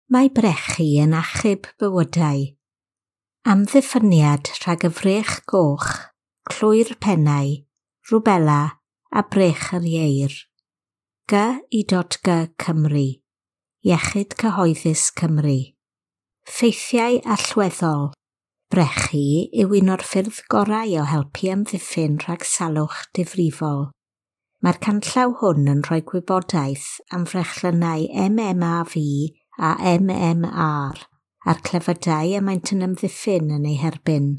Mae brechu yn achub bywydau. Amddiffyniad rhag y frech goch, clwy'r pennau, rwbela a brech yr ieir. G.I.G Cymru. Iechyd Cyhoeddus Cymru. Ffeithiau allweddol. Brechu yw un o'r ffyrdd gorau o helpu amddiffyn rhag salwch difrifol. Mae'r canllaw hwn yn rhoi gwybodaeth am frechlynnau MMRV a MMR a'r clefydau y maent yn amddiffyn yn eu herbyn.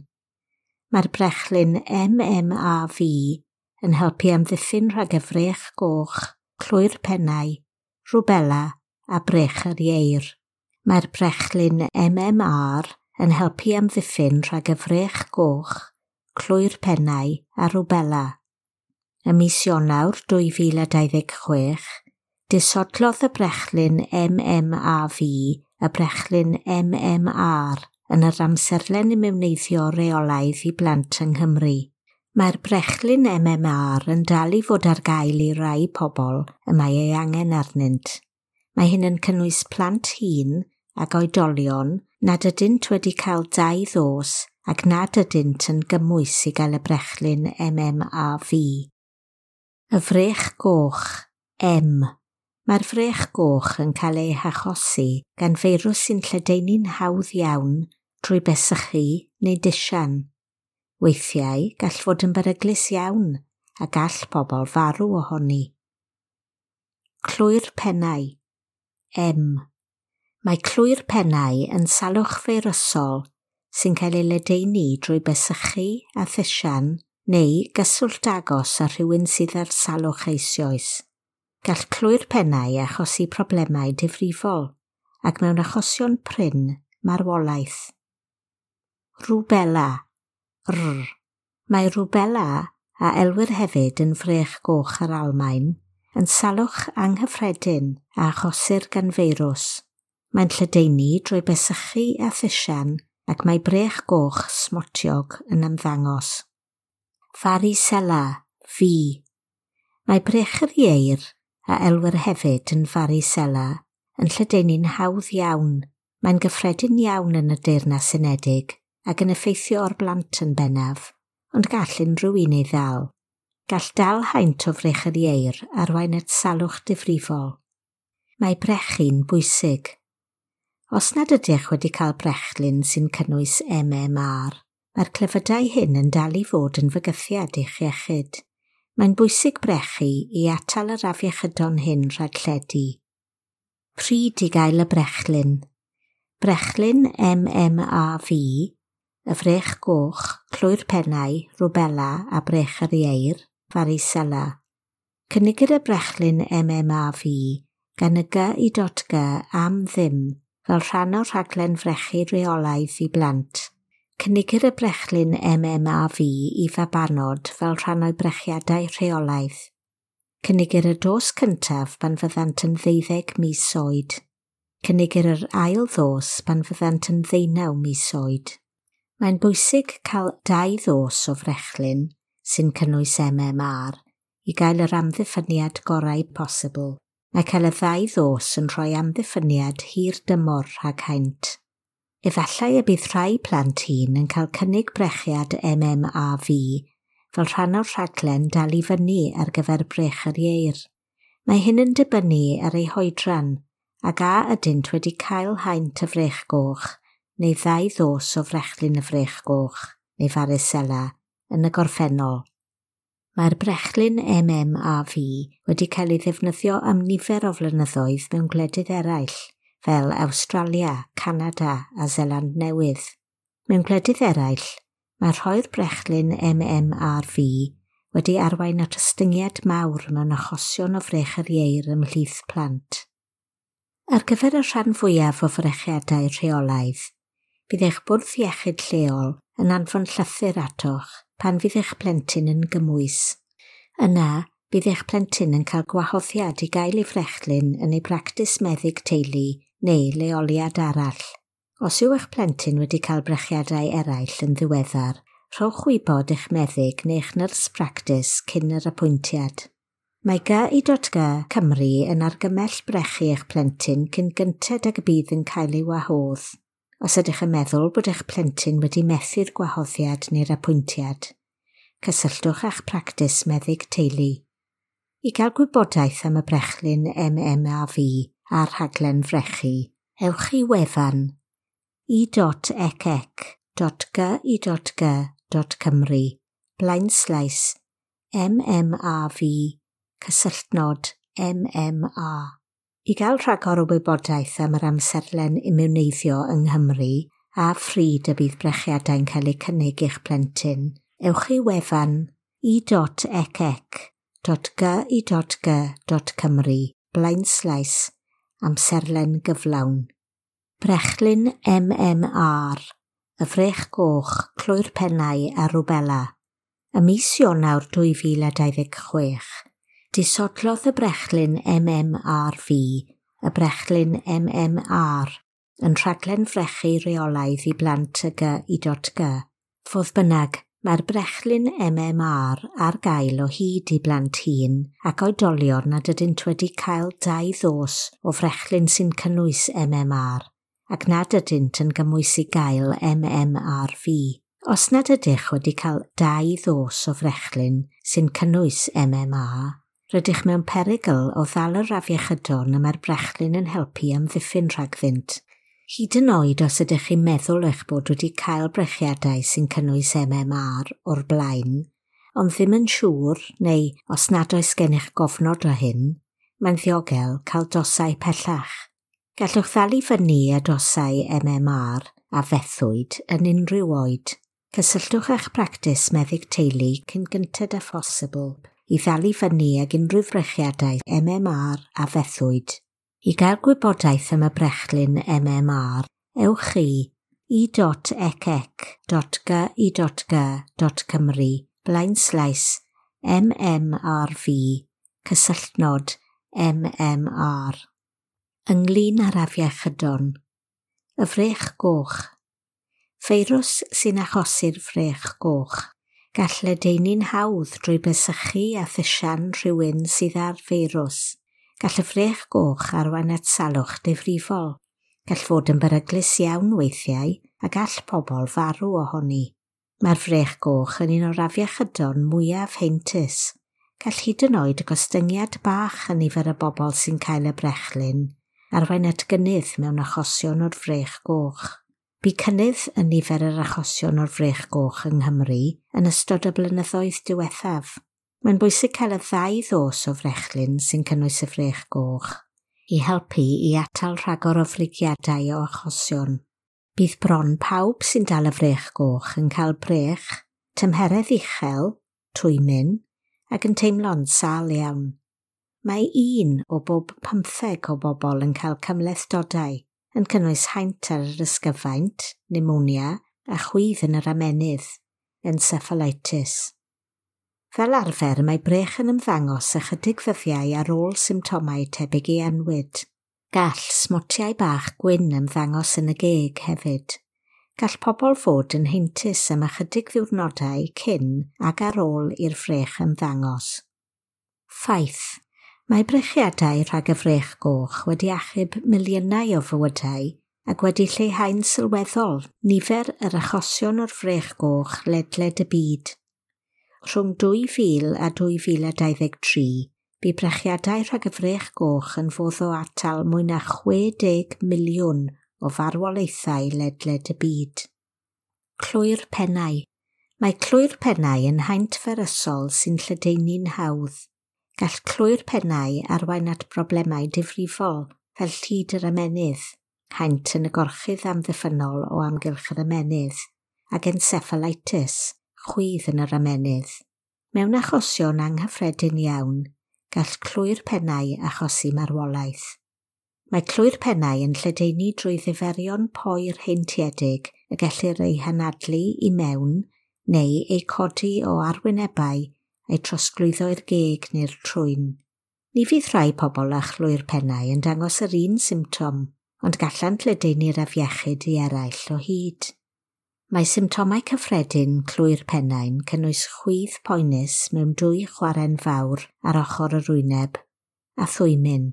Mae'r brechlyn MMRV yn helpu amddiffyn rhag y frech goch, clwy'r pennau, rwbela a brech yr ieir. Mae'r brechlyn MMR yn helpu amddiffyn rhag y frech goch, clwy'r pennau a rwbela. Ym mis Ionawr 2026, disodlodd y brechlyn MMRV y brechlyn MMR yn yr amserlen imiwneiddio reolaidd i blant yng Nghymru. Mae'r brechlyn MMR yn dal i fod ar gael i rai pobl y mae ei angen arnynt. Mae hyn yn cynnwys plant hŷn ac oedolion nad ydynt wedi cael 2 ddos ac nad ydynt yn gymwys i gael y brechlyn MMRV. Y frech goch, M. Mae'r frech goch yn cael ei hachosi gan feirws sy'n lledaenu'n hawdd iawn drwy besychu neu disian. Weithiau, gall fod yn beryglus iawn a gall pobl farw ohoni. Clwy'r pennau, M. Mae clwy'r pennau yn salwch feirysol sy'n cael ei ledaenu drwy besychu a thisian neu gyswllt agos â rhywun sydd ar salwch eisoes. Gall clwy'r pennau achosi problemau difrifol ac mewn achosion prin, marwolaeth. Rwbela, R. Mae rwbela, a elwir hefyd yn frech goch yr Almaen, yn salwch anghyffredin a achosir gan feirws. Mae'n lledaenu drwy besychu a thisian ac mae brech goch smotiog yn ymddangos. Varicella, V. Mae brech yr ieir, a elwir hefyd yn varicella, yn lledaenu'n hawdd iawn. Mae'n gyffredin iawn yn y Deyrnas Unedig ac yn effeithio ar blant yn bennaf, ond gall unrhyw un ei ddal. Gall dal haint o frech yr ieir arwain at salwch difrifol. Mae brechu'n bwysig. Os nad ydych wedi cael brechlyn sy'n cynnwys MMR, mae'r clefydau hyn yn dal i fod yn fygythiad i'ch iechyd. Mae'n bwysig brechu i atal yr afiechydon hyn rhag lledu. Pryd i gael y brechlyn? Brechlyn MMRV, y frech goch, clwy'r pennau, rwbela a brech yr ieir, varicella. Cynigir y brechlyn MMRV gan y G.I.G am ddim fel rhan o'r rhaglen frechu reolaidd i blant. Cynigir y brechlyn MMRV i fabanod fel rhan o'i brechiadau rheolaidd. Cynigir y dos cyntaf pan fyddant yn 12 mis oed. Cynigir yr ail ddos pan fyddant yn 19 mis oed. Mae'n bwysig cael 2 ddos o frechlyn, sy'n cynnwys MMR, i gael yr amddiffyniad gorau posibl. Mae cael y 2 ddos yn rhoi amddiffyniad hir dymor rhag haint. Efallai y bydd rhai plant hŷn yn cael cynnig brechiad MMRV fel rhan o'r rhaglen dal i fyny ar gyfer brech yr ieir. Mae hyn yn dibynnu ar eu hoedran ac a ydynt wedi cael haint y frech goch neu 2 ddos o frechlyn y frech goch neu varicella yn y gorffennol. Mae'r brechlyn MMRV wedi cael ei ddefnyddio am nifer o flynyddoedd mewn gwledydd eraill, fel Awstralia, Canada a Seland Newydd. Mewn gwledydd eraill, mae rhoi'r brechlyn MMRV wedi arwain at ostyngiad mawr mewn achosion o frech yr ieir ymhlith plant. Ar gyfer y rhan fwyaf o frechiadau rheolaidd, bydd eich bwrdd iechyd lleol yn anfon llythyr atoch pan fydd eich plentyn yn gymwys. Yna, bydd eich plentyn yn cael gwahoddiad i gael ei frechlyn yn ei bractis meddyg teulu neu leoliad arall. Os yw eich plentyn wedi cael brechiadau eraill yn ddiweddar, rhowch wybod eich meddyg neu eich nyrs practis cyn yr apwyntiad. Mae GI.G Cymru yn argymell brechu eich plentyn cyn gynted ag y bydd yn cael ei wahodd. Os ydych yn meddwl bod eich plentyn wedi methu'r gwahoddiad neu'r apwyntiad, cysylltwch â'ch practis meddyg teulu. I gael gwybodaeth am y brechlyn MMRV a'r rhaglen frechu, ewch i wefan e.ecec.gi.g.cymru blaenslaes MMRV cysylltnod MMA. I gael rhagor o wybodaeth am yr amserlen imiwneiddio yng Nghymru a phryd y bydd brechiadau'n cael eu cynnig i'ch plentyn, ewch i wefan e.ecec.gi.g.cymru blaenslaes amserlen gyflawn. Brechlyn MMR, y frech goch, clwy'r pennau a rwbela. Ym mis Ionawr 2026, disodlodd y brechlyn MMRV, y brechlyn MMR, yn rhaglen frechu reolaidd i blant y GI.G. Fodd bynnag, mae'r brechlyn MMR ar gael o hyd i blant hŷn ac oedolion nad ydynt wedi cael dau ddos o frechlyn sy'n cynnwys MMR ac nad ydynt yn gymwys i gael MMRV. Os nad ydych wedi cael dau ddos o frechlyn sy'n cynnwys MMR, rydych mewn perygl o ddal yr afiechydon y mae'r brechlyn yn helpu amddiffyn rhagddynt. Hyd yn oed os ydych chi'n meddwl eich bod wedi cael brechiadau sy'n cynnwys MMR o'r blaen, ond ddim yn siŵr, neu os nad oes gennych gofnod o hyn, mae'n ddiogel cael dosau pellach. Gallwch ddal i fyny â dosau MMR a fethwyd yn unrhyw oed. Cysylltwch â'ch practis meddyg teulu cyn gynted â phosibl i ddal i fyny ag unrhyw frechiadau MMR a fethwyd. I gael gwybodaeth am y brechlyn MMR, ewch i e.ecec.gi.g.cymru blaenslaes MMRV cysylltnod MMR. Ynglyn â'r afiechydon, y frech goch. Feirws sy'n achosi'r frech goch. Gall ledaenu'n hawdd drwy besychu a thysian rhywun sydd â'r feirws. Gall y frech goch arwain at salwch difrifol. Gall fod yn beryglus iawn weithiau a gall pobl farw ohoni. Mae'r frech goch yn un o'r afiechydon mwyaf heintus. Gall hyd yn oed y gostyngiad bach yn nifer y bobl sy'n cael y brechlyn arwain at gynnydd mewn achosion o'r frech goch. Bu cynnydd yn nifer yr achosion o'r frech goch yng Nghymru yn ystod y blynyddoedd diwethaf. Mae'n bwysig cael y ddau ddos o frechlyn sy'n cynnwys y frech goch i helpu i atal rhagor o frigiadau o achosion. Bydd bron pawb sy'n dal y frech goch yn cael brech, tymheredd uchel, twymyn, ac yn teimlo'n sâl iawn. Mae 1 o bob 15 o bobl yn cael cymhlethdodau, yn cynnwys haint ar yr ysgyfaint, pneumonia a chwydd yn yr ymennydd, encephalitis. Fel arfer, mae brech yn ymddangos ychydig ddyddiau ar ôl symptomau tebyg i annwyd. Gall smotiau bach gwyn ymddangos yn y geg hefyd. Gall pobl fod yn heintus am ychydig ddiwrnodau cyn ac ar ôl i'r frech ymddangos. Ffaith. Mae brechiadau rhag y frech goch wedi achub miliynau o fywydau ac wedi lleihau'n sylweddol nifer yr achosion o'r frech goch ledled y byd. Rhwng 2000 a 2023, bu brechiadau rhag y frech goch yn fodd o atal mwy na 60 miliwn o farwolaethau ledled y byd. Clwy'r pennau. Mae clwy'r pennau yn haint ferysol sy'n lledaenu'n hawdd. Gall clwy'r pennau arwain at broblemau difrifol fel llid yr ymennydd, haint yn y gorchudd amddiffynnol o amgylch yr ymennydd, ac encephalitis, chwydd yn yr ymennydd. Mewn achosion anghyffredin iawn, gall clwy'r pennau achosi marwolaeth. Mae clwy'r pennau yn lledaenu drwy ddiferion poer heintiedig y gellir eu hanadlu i mewn neu eu codi o arwynebau eu trosglwyddo i'r geg neu'r trwyn. Ni fydd rhai pobl â chlwy'r pennau yn dangos yr un symptom, ond gallant ledaenu'r afiechyd i eraill o hyd. Mae symptomau cyffredin clwy'r pennau'n cynnwys chwydd poenus mewn dwy chwarren fawr ar ochr yr wyneb a thwymyn.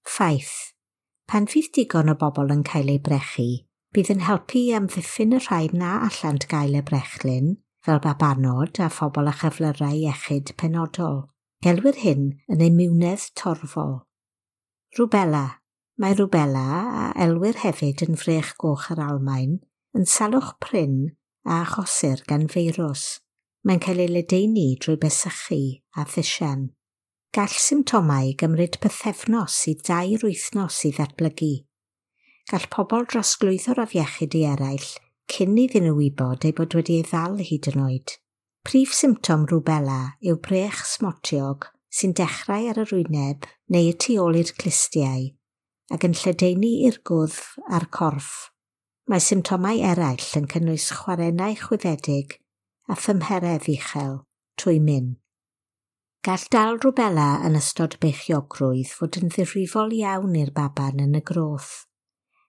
Ffaith. Pan fydd digon o bobl yn cael eu brechu, bydd yn helpu i amddiffyn y rhai na allant gael y brechlyn, fel babanod a phobl â chyflyrau iechyd penodol. Gelwir hyn yn imiwnedd torfol. Rwbela. Mae rwbela, a elwir hefyd yn frech goch yr Almaen, yn salwch prin a achosir gan feirws. Mae'n cael ei ledaenu drwy besychu a thisian. Gall symptomau gymryd pythefnos i 2 wythnos i ddatblygu. Gall pobl drosglwyddo'r afiechyd i eraill cyn iddyn nhw wybod eu bod wedi ei ddal hyd yn oed. Prif symptom rwbela yw brech smotiog sy'n dechrau ar yr wyneb neu y tu ôl i'r clustiau ac yn lledaenu i'r gwddf a'r corff. Mae symptomau eraill yn cynnwys chwarennau chwyddedig a thymheredd uchel, twymyn. Gall dal rwbela yn ystod beichiogrwydd fod yn ddifrifol iawn i'r baban yn y groth.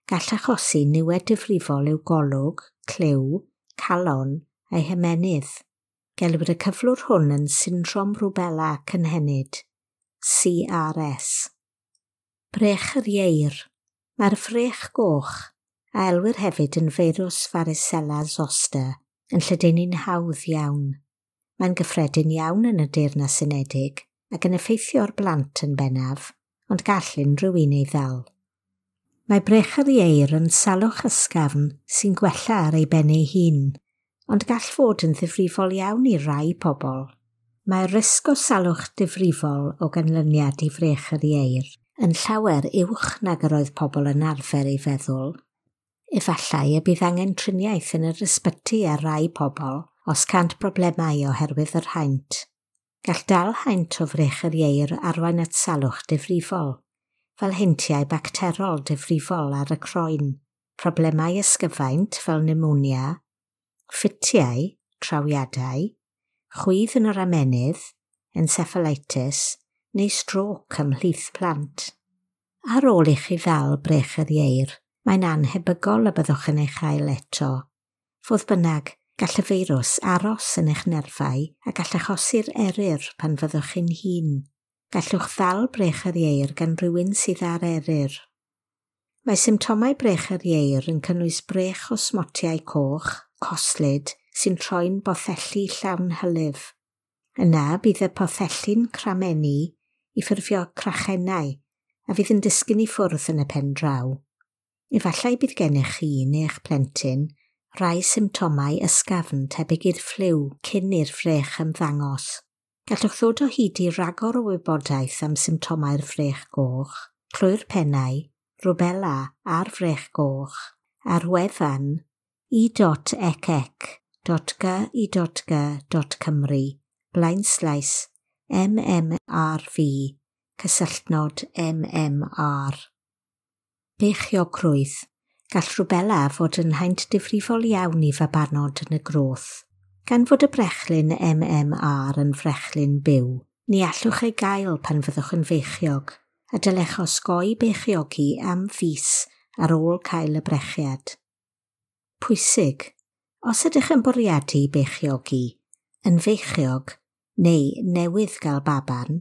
Gall achosi niwed difrifol i'w golwg, clyw, calon a'i hymennydd. Gelwir y cyflwr hwn yn syndrom rwbela cynhenid, CRS. Brech yr ieir. Mae'r frech goch, a elwir hefyd yn feirws varicella zoster, yn lledaenu'n hawdd iawn. Mae'n gyffredin iawn yn y Deyrnas Unedig ac yn effeithio'r blant yn bennaf, ond gall unrhyw un ei ddal. Mae brech yr ieir yn salwch ysgafn sy'n gwella ar ei ben ei hun, ond gall fod yn ddifrifol iawn i rai pobl. Mae'r risg o salwch difrifol o ganlyniad i frech yr ieir yn llawer uwch nag yr oedd pobl yn arfer ei feddwl. Efallai y bydd angen triniaeth yn yr ysbyty ar rai pobl os cant broblemau oherwydd yr haint. Gall dal haint o frech yr ieir arwain at salwch difrifol, fel heintiau bacterol difrifol ar y croen, problemau ysgyfaint fel pneumonia, ffitiau, trawiadau, chwydd yn yr amenydd, encephalitis neu strôc ymhlith plant. Ar ôl i chi ddal brech yr ieir, mae'n annhebygol y byddwch yn ei chael eto. Fodd bynnag, gall y feirws aros yn eich nerfau a gall achosi'r eryr pan fyddwch chi'n hŷn. Gallwch ddal brech yr ieir gan rywun sydd ar eryr. Mae symptomau brech yr ieir yn cynnwys brech o smotiau coch, coslyd, sy'n troi'n bothelli llawn hylif. Yna bydd y pothelli'n cramennu i ffurfio crachennau a fydd yn disgyn i ffwrdd yn y pen draw. Efallai bydd gennych chi neu eich plentyn rai symptomau ysgafn tebyg i'r ffliw cyn i'r frech ymddangos. Gallwch ddod o hyd i ragor o wybodaeth am symptomau'r frech goch, clwy'r pennau, rwbela a'r frech goch ar wefan e.ecec.gy.g.cymru blaenslaes MMRV cysylltnod MMR. Beichiogrwydd. Gall rwbela fod yn haint difrifol iawn i fabanod yn y groth. Gan fod y brechlyn MMR yn frechlyn byw, ni allwch ei gael pan fyddwch yn feichiog, a dylech osgoi beichiogi am fis ar ôl cael y brechiad. Pwysig. Os ydych yn bwriadu beichiogi, yn feichiog neu newydd gael baban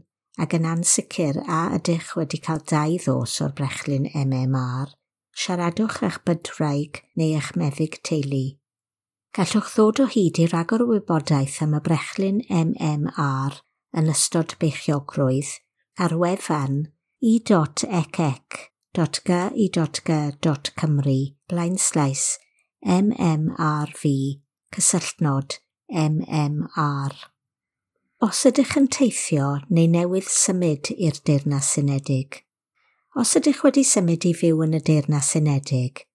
ac yn ansicr a ydych wedi cael 2 ddos o'r brechlyn MMR, siaradwch eich bydwraig neu eich meddyg teulu. Gallwch ddod o hyd i ragor o wybodaeth am y brechlyn MMR yn ystod beichiogrwydd ar wefan e.ecec.gy.g.cymru blaenslaes MMRV cysylltnod MMR. Os ydych yn teithio neu newydd symud i'r Deyrnas Unedig. Os ydych wedi symud i fyw yn y Deyrnas Unedig,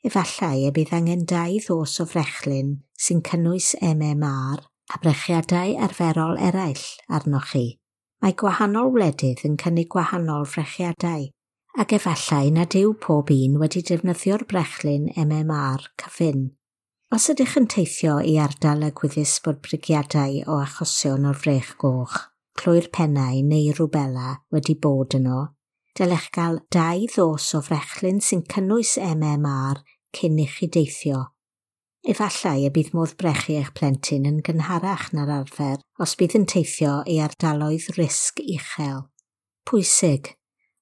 efallai y bydd angen 2 ddos o frechlyn sy'n cynnwys MMR a brechiadau arferol eraill arnoch chi. Mae gwahanol wledydd yn cynnig gwahanol frechiadau, ac efallai nad yw pob un wedi defnyddio'r brechlyn MMR cyfun. Os ydych yn teithio i ardal y gwyddys bod brigiadau o achosion o'r frech goch, clwy'r pennau neu rwbela wedi bod yno, dylech gael 2 ddos o frechlyn sy'n cynnwys MMR cyn i chi deithio. Efallai y bydd modd brechu eich plentyn yn gynharach na'r arfer os bydd yn teithio i ardaloedd risg uchel. Pwysig,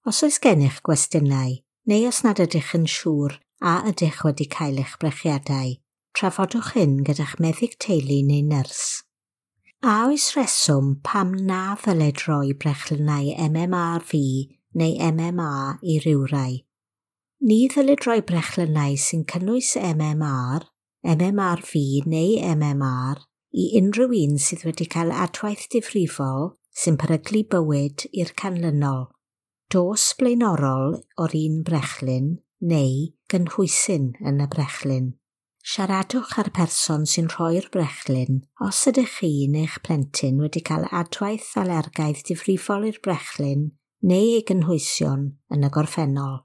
os oes gennych gwestiynau neu os nad ydych yn siŵr a ydych wedi cael eich brechiadau, trafodwch hyn gyda'ch meddyg teulu neu nyrs. A oes rheswm pam na ddylid roi brechlynnau MMRV neu MMA i rywrai? Ni ddylid roi brechlynnau sy'n cynnwys MMR, MMRV neu MMR i unrhyw un sydd wedi cael adwaith difrifol sy'n peryglu bywyd i'r canlynol: dos blaenorol o'r un brechlyn neu gynhwysyn yn y brechlyn. Siaradwch â'r person sy'n rhoi'r brechlyn os ydych chi neu'ch plentyn wedi cael adwaith alergaidd difrifol i'r brechlyn neu ei gynhwysion yn y gorffennol.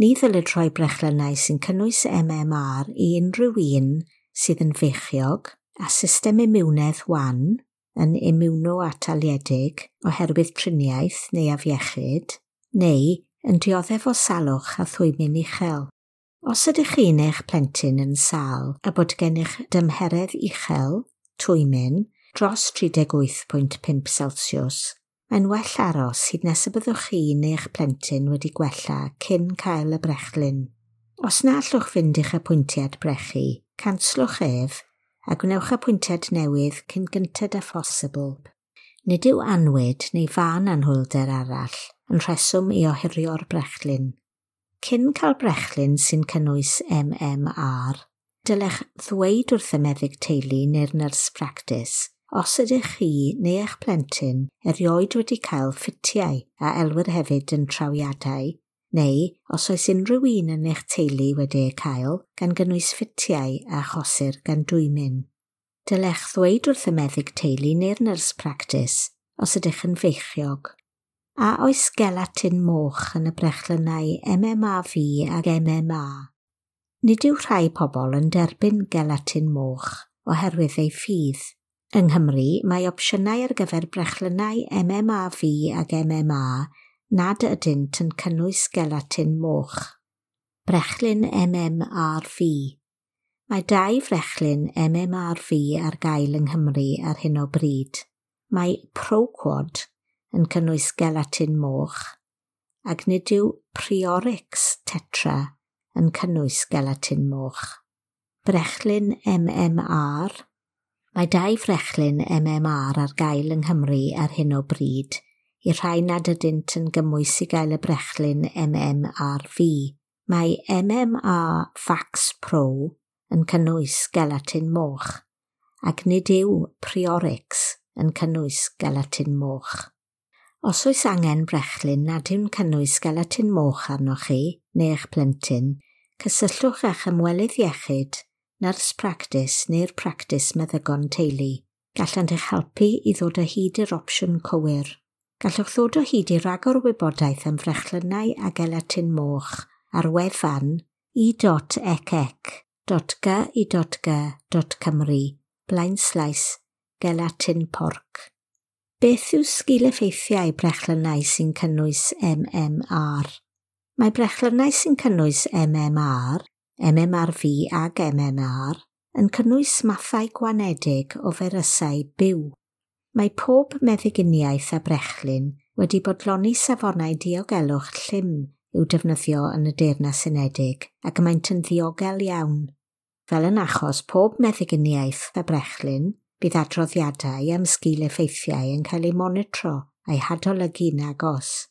Ni ddylid rhoi brechlynnau sy'n cynnwys MMR i unrhyw un sydd yn feichiog a system imiwnedd wan yn imiwno-ataliedig oherwydd triniaeth neu afiechyd, neu yn dioddef o salwch a thwymyn uchel. Os ydych chi neu'ch plentyn yn sâl a bod gennych dymheredd uchel, twymyn, dros 38.5 Celsius, mae'n well aros hyd nes y byddwch chi neu'ch plentyn wedi gwella cyn cael y brechlyn. Os na allwch fynd i'ch apwyntiad brechu, canslwch ef a gwnewch apwyntiad newydd cyn gynted â phosibl. Nid yw annwyd neu fân anhwylder arall yn rheswm i ohirio'r brechlyn. Cyn cael brechlyn sy'n cynnwys MMR, dylech ddweud wrth y meddyg teulu neu'r nyrs practis os ydych chi neu eich plentyn erioed wedi cael ffitiau a elwir hefyd yn trawiadau, neu os oes unrhyw un yn eich teulu wedi eu cael, gan gynnwys ffitiau a achosir gan dwymyn. Dylech ddweud wrth y meddyg teulu neu'r nyrs practis os ydych yn feichiog. A oes gelatin moch yn y brechlynnau MMRV ac MMA? Nid yw rhai pobl yn derbyn gelatin moch oherwydd eu ffydd. Yng Nghymru, mae opsiynau ar gyfer brechlynnau MMRV ac MMA nad ydynt yn cynnwys gelatin moch. Brechlyn MMRV. Mae dau frechlyn MMRV ar gael yng Nghymru ar hyn o bryd. Mae Proquad yn cynnwys gelatin moch, ac nid yw Priorix Tetra yn cynnwys gelatin moch. Brechlyn MMR. Mae dau frechlyn MMR ar gael yng Nghymru ar hyn o bryd, i'r rhai nad ydynt yn gymwys i gael y brechlyn MMRV. Mae MMR Vax Pro yn cynnwys gelatin moch, ac nid yw Priorix yn cynnwys gelatin moch. Os oes angen brechlyn nad yw'n cynnwys gelatin moch arnoch chi neu eich plentyn, cysylltwch â'ch ymwelydd iechyd, nyrs practis neu'r practis meddygon teulu. Gallant eich helpu i ddod o hyd i'r opsiwn cywir. Gallwch ddod o hyd i ragor o wybodaeth am frechlynnau a gelatin moch ar wefan e.ecec.gy.g.cymru /gelatin porc. Beth yw sgil-effeithiau brechlynnau sy'n cynnwys MMR? Mae brechlynnau sy'n cynnwys MMR, MMRV ac MMR yn cynnwys mathau gwanedig o feirysau byw. Mae pob meddyginiaeth a brechlyn wedi bodloni safonau diogelwch llym i'w defnyddio yn y Deyrnas Unedig ac maent yn ddiogel iawn. Fel yn achos pob meddyginiaeth a brechlyn, bydd adroddiadau am sgil-effeithiau yn cael eu monitro a'u hadolygu'n agos.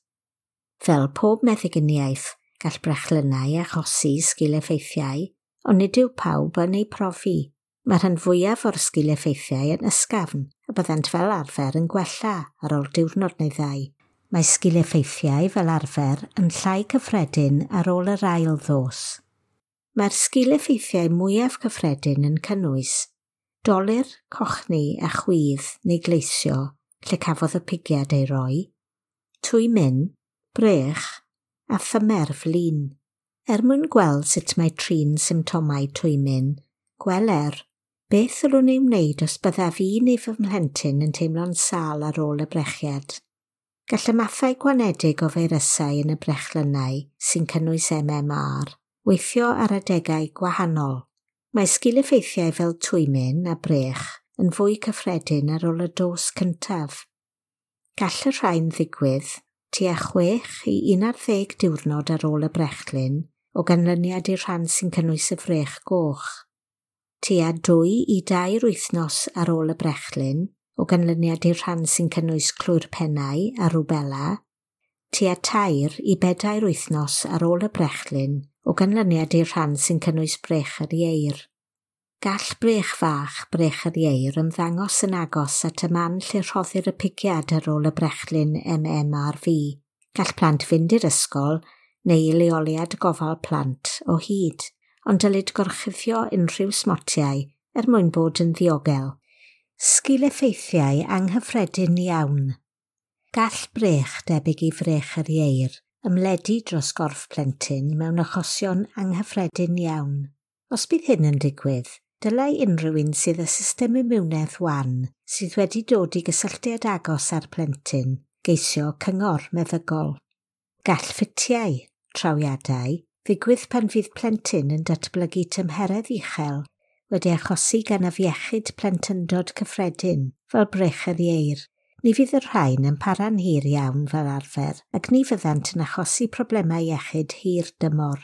Fel pob meddyginiaeth, gall brechlynnau achosi sgil-effeithiau, ond nid yw pawb yn eu profi. Mae'r rhan fwyaf o'r sgil-effeithiau yn ysgafn a byddant fel arfer yn gwella ar ôl diwrnod neu ddau. Mae sgil-effeithiau fel arfer yn llai cyffredin ar ôl yr ail ddos. Mae'r sgil-effeithiau mwyaf cyffredin yn cynnwys dolur, cochni a chwydd neu gleisio lle cafodd y pigiad ei roi, twymyn, brech a thymer flin. Er mwyn gweld sut mae trin symptomau twymyn, gweler beth ddylwn ei wneud os byddaf fi neu fy mhlentyn yn teimlo'n sâl ar ôl y brechiad. Gall y mathau gwanedig o feirysau yn y brechlynnau sy'n cynnwys MMR weithio ar adegau gwahanol. Mae sgil-effeithiau fel twymyn a brech yn fwy cyffredin ar ôl y dos cyntaf. Gall y rhain ddigwydd tua 6 i 11 diwrnod ar ôl y brechlyn o ganlyniad i'r rhan sy'n cynnwys y frech goch. Tua 2 i 3 wythnos ar ôl y brechlyn o ganlyniad i'r rhan sy'n cynnwys clwy'r pennau a rwbela, tua 3 i 4 wythnos ar ôl y brechlyn o ganlyniad i'r rhan sy'n cynnwys brech yr ieir. Gall brech fach brech yr ieir ymddangos yn agos at y man lle rhoddir y pigiad ar ôl y brechlyn MMRV. Gall plant fynd i'r ysgol neu i leoliad gofal plant o hyd, ond dylid gorchuddio unrhyw smotiau er mwyn bod yn ddiogel. Sgil-effeithiau anghyffredin iawn. Gall brech debyg i frech yr ieir ymledu dros gorff plentyn mewn achosion anghyffredin iawn. Os bydd hyn yn digwydd, dylai unrhyw un sydd â system imiwnedd wan sydd wedi dod i gysylltiad agos â'r plentyn geisio cyngor meddygol. Gall ffitiau, trawiadau, ddigwydd pan fydd plentyn yn datblygu tymheredd uchel wedi achosi gan afiechyd plentyndod cyffredin fel brech yr ieir. Ni fydd y rhain yn para'n hir iawn fel arfer ac ni fyddant yn achosi problemau iechyd hir dymor.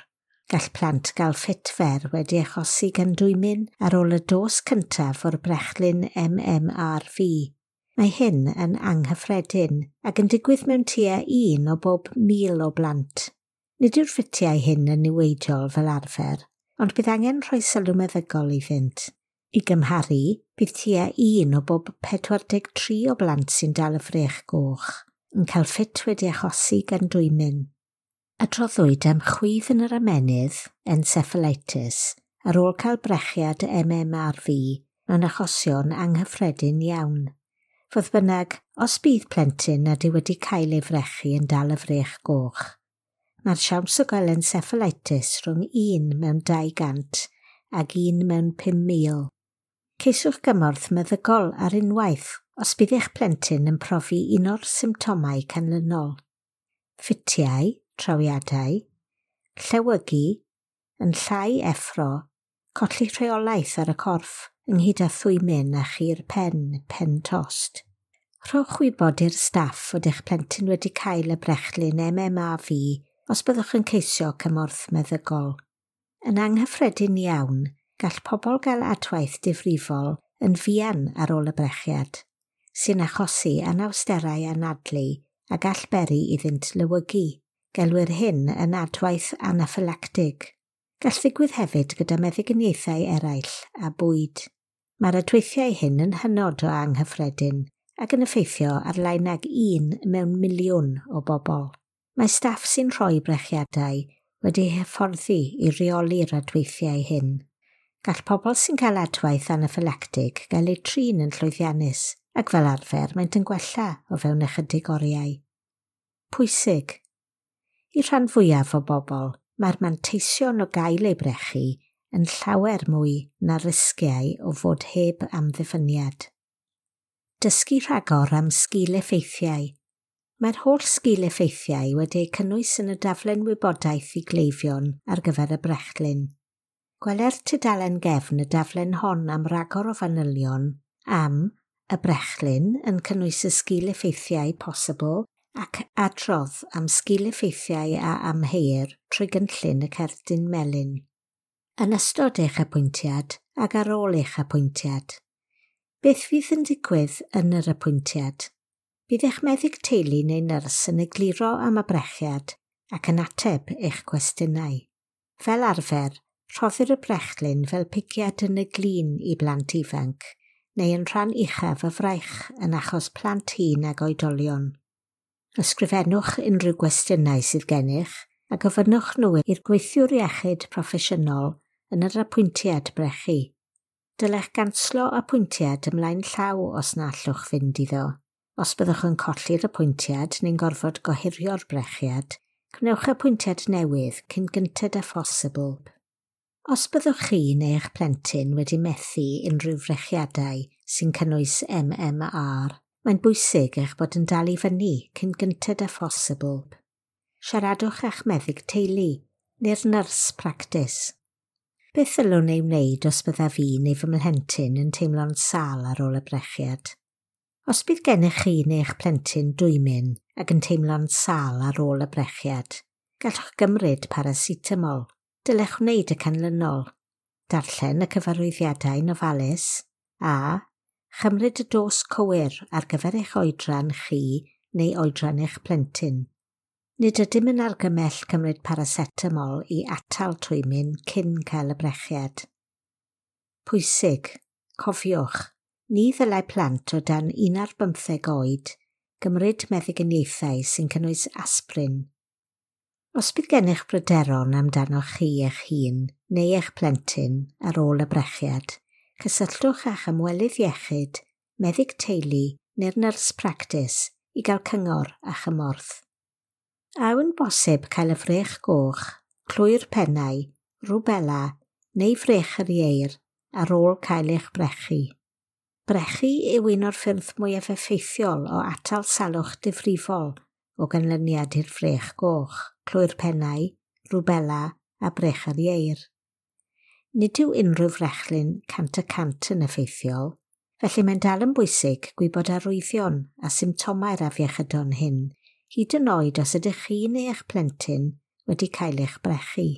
Gall plant gael ffit fer wedi achosi gan dwymyn ar ôl y dos cyntaf o'r brechlyn MMRV. Mae hyn yn anghyffredin ac yn digwydd mewn tua 1 o bob 1,000 o blant. Nid yw'r ffitiau hyn yn niweidiol fel arfer, ond bydd angen rhoi sylw meddygol iddynt. I gymharu, bydd tua 1 o bob 43 o blant sy'n dal y frech goch yn cael ffit wedi achosi gan dwymyn. Adroddwyd am chwydd yn yr ymennydd, encephalitis, ar ôl cael brechiad MMRV mewn achosion anghyffredin iawn. Fodd bynnag, os bydd plentyn nad yw wedi cael ei frechu yn dal y frech goch, mae'r siawns o gael encephalitis rhwng 1 mewn 200 ac 1 mewn 5,000. Ceisiwch gymorth meddygol ar unwaith os bydd eich plentyn yn profi un o'r symptomau canlynol. Ffitiau, trawiadau, llewygu, yn llai effro, colli rheolaeth ar y corff, ynghyd â thwymyn a chur pen, pen tost. Rhowch wybod i'r staff fod eich plentyn wedi cael y brechlyn MMRV os byddwch yn ceisio cymorth meddygol. Yn anghyffredin iawn, gall pobl gael adwaith difrifol yn fuan ar ôl y brechiad, sy'n achosi anawsterau anadlu a gall beri iddynt lewygu. Gelwir hyn yn adwaith anaffylactig. Gall ddigwydd hefyd gyda meddyginiaethau eraill a bwyd. Mae'r adweithiau hyn yn hynod o anghyffredin ac yn effeithio ar lai nag 1 mewn miliwn o bobl. Mae staff sy'n rhoi brechiadau wedi hyfforddi i reoli'r adweithiau hyn. Gall pobl sy'n cael adwaith anaffylactig gael eu trin yn llwyddiannus ac fel arfer maent yn gwella o fewn ychydig oriau. Pwysig. I'r rhan fwyaf o bobl, mae'r manteision o gael eu brechu yn llawer mwy na'r risgiau o fod heb amddiffyniad. Dysgu rhagor am sgil-effeithiau. Mae'r holl sgil-effeithiau wedi eu cynnwys yn y daflen wybodaeth i gleifion ar gyfer y brechlyn. Gweler tudalen gefn y daflen hon am ragor o fanylion am y brechlyn yn cynnwys y sgil-effeithiau posibl ac adrodd am sgil-effeithiau a amheuir trwy gynllun y cerdyn melyn. Yn ystod eich apwyntiad ac ar ôl eich apwyntiad. Beth fydd yn digwydd yn yr apwyntiad? Bydd eich meddyg teulu neu nyrs yn egluro am y brechiad ac yn ateb eich cwestiynau. Fel arfer, rhoddir y brechlyn fel pigiad yn y glin i blant ifanc, neu yn rhan uchaf y fraich yn achos plant hŷn ag oedolion. Ysgrifennwch unrhyw gwestiynau sydd gennych a gofynnwch nhw i'r gweithiwr iechyd proffesiynol yn yr apwyntiad brechu. Dylech ganslo apwyntiad ymlaen llaw os na allwch fynd iddo. Os byddwch yn colli'r apwyntiad neu'n gorfod gohirio'r brechiad, gwnewch apwyntiad newydd cyn gynted â phosibl. Os byddwch chi neu eich plentyn wedi methu unrhyw frechiadau sy'n cynnwys MMR, mae'n bwysig eich bod yn dal i fyny cyn gynted â phosibl. Siaradwch â'ch meddyg teulu neu'r nyrs practis. Beth ddylwn ei wneud os byddaf fi neu fy mhlentyn yn teimlo'n sâl ar ôl y brechiad? Os bydd gennych chi neu eich plentyn dwymyn ac yn teimlo'n sâl ar ôl y brechiad, gallwch gymryd paracetamol. Dylech wneud y canlynol. Darllen y cyfarwyddiadau'n ofalus a chymryd y dos cywir ar gyfer eich oedran chi neu oedran eich plentyn. Nid ydym yn argymell cymryd paracetamol i atal twymyn cyn cael y brechiad. Pwysig, cofiwch, ni ddylai plant o dan 15 oed gymryd meddyginiaethau sy'n cynnwys aspirin. Os bydd gennych bryderon amdanoch chi eich hun neu eich plentyn ar ôl y brechiad, cysylltwch â'ch ymwelydd iechyd, meddyg teulu neu'r nyrs practis i gael cyngor a chymorth. A yw'n bosib cael y frech goch, clwy'r pennau, rwbela neu frech yr ieir ar ôl cael eich brechu? Brechu yw un o'r ffyrdd mwyaf effeithiol o atal salwch difrifol o ganlyniad i'r frech goch, clwy'r pennau, rwbela a brech yr ieir. Nid yw unrhyw frechlyn 100% yn effeithiol, felly mae'n dal yn bwysig gwybod arwyddion a symptomau'r afiechydon hyn, hyd yn oed os ydych chi neu eich plentyn wedi cael eich brechu.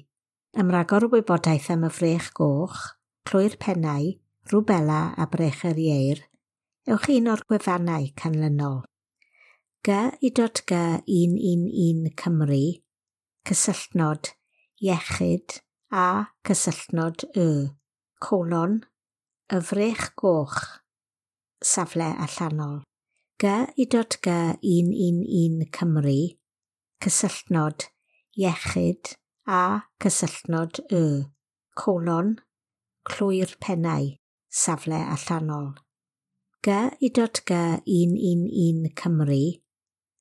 Am ragor o wybodaeth am y frech goch, clwy'r pennau, rwbela a brech yr ieir, ewch un o'r gwefannau canlynol. G.I.G 111 Cymru, cysylltnod, iechyd a cysylltnod y, colon, y frech goch, safle allanol. G.I.G 111 Cymru, cysylltnod, iechyd a cysylltnod y, colon, clwy'r pennau, safle allanol. G.I.G 111 Cymru,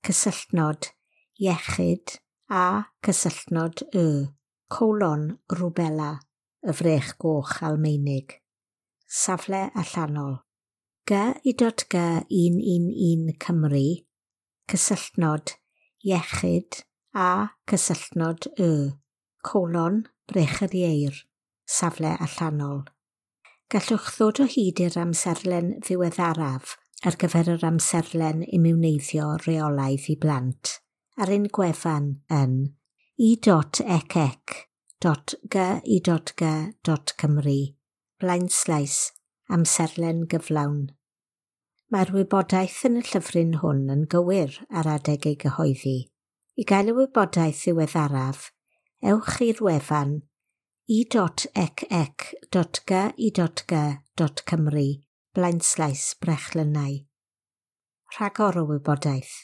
cysylltnod, iechyd a cysylltnod y, colon, rwbela, y frech goch Almaenig, safle allanol. G.I.G 111 Cymru, cysylltnod, iechyd a cysylltnod y, colon, brech yr ieir, safle allanol. Gallwch ddod o hyd i'r amserlen ddiweddaraf ar gyfer yr amserlen imiwneiddio reolaidd i blant ar ein gwefan yn e.ecec.gi.g.cymru blaenslaes amserlen gyflawn. Mae'r wybodaeth yn y llyfryn hwn yn gywir ar adeg ei gyhoeddi. I gael y wybodaeth ddiweddaraf, ewch i'r wefan e.ecec.gi.g.cymru blaenslaes brechlynnau. Rhagor o wybodaeth.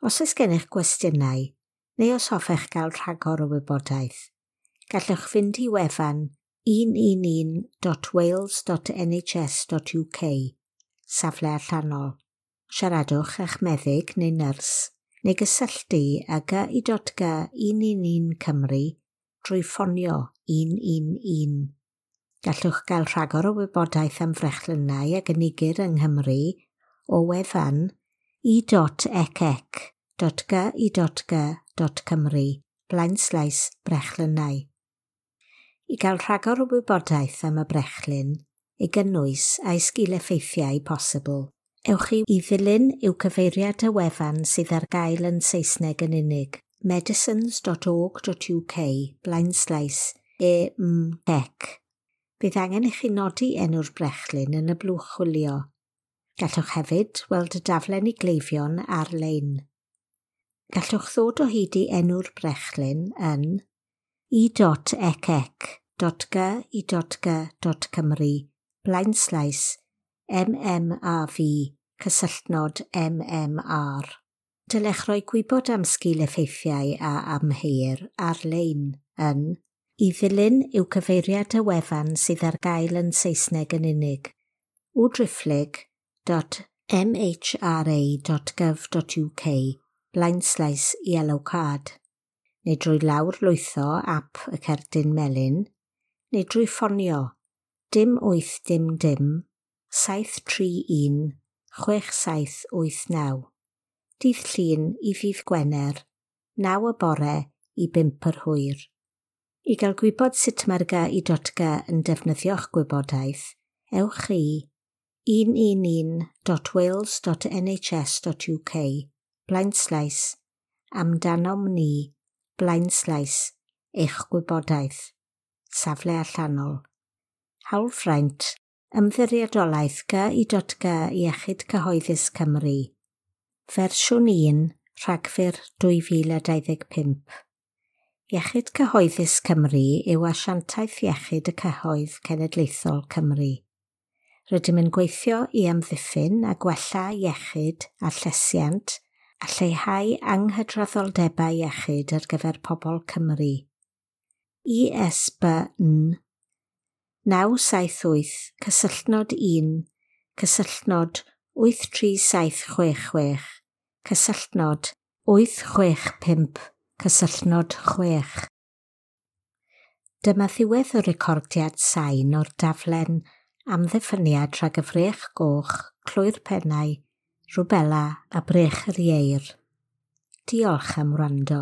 Os oes gennych gwestiynau, neu os hoffech gael rhagor o wybodaeth, gallwch fynd i wefan 111.wales.nhs.uk, safle allanol. Siaradwch â'ch meddyg neu nyrs, neu gysylltu â GI.G 111 Cymru drwy ffonio 111. Gallwch gael rhagor o wybodaeth am frechlynnau a gynigir yng Nghymru o wefan e.ecec.gi.g.cymru blaenslaes brechlynnau. I gael rhagor o wybodaeth am y brechlyn, ei gynnwys a'i sgil-effeithiau posibl, ewch i ddilyn i'w cyfeiriad y wefan sydd ar gael yn Saesneg yn unig, medicines.org.uk blaenslaes e-m-ec. Bydd angen i chi nodi enw'r brechlyn yn y blwch chwilio. Gallwch hefyd weld y daflen i gleifion ar-lein. Gallwch ddod o hyd i enw'r brechlyn yn e.ecec.gi.g.cymru blaenslaes MMRV cysylltnod MMR. Dylech roi gwybod am sgil-effeithiau a amheuir ar-lein yn i ddilyn yw cyfeiriad y wefan sydd ar gael yn Saesneg yn unig, www.mhra.gov.uk blaenslaes yellow card, neu drwy lawr lwytho ap y cerdyn melyn, neu drwy ffonio 0 8 0 0 731 6789. Dydd Llun i ddydd Gwener, 9 y bore i 5 yr hwyr. I gael gwybod sut mae'r GI.GA yn defnyddio'ch gwybodaeth, ewch i 111.wales.nhs.uk blaenslaes amdanom ni blaenslaes eich gwybodaeth. Safle allanol. Hawlfraint, Ymddiriedolaeth GI.GA Iechyd Cyhoeddus Cymru. Fersiwn 1, Rhagfyr 2025. Iechyd Cyhoeddus Cymru yw asiantaeth iechyd y cyhoedd cenedlaethol Cymru. Rydym yn gweithio i amddiffyn a gwella iechyd a llesiant a lleihau anghydraddoldebau iechyd ar gyfer pobl Cymru. ISBN 978 cysylltnod 1 cysylltnod 83766 cysylltnod 865 cysylltnod 6. Dyma ddiwedd y recordiad sain o'r daflen amddiffyniad rhag y frech goch, clwy'r pennau, rwbela a brech yr ieir. Diolch am wrando.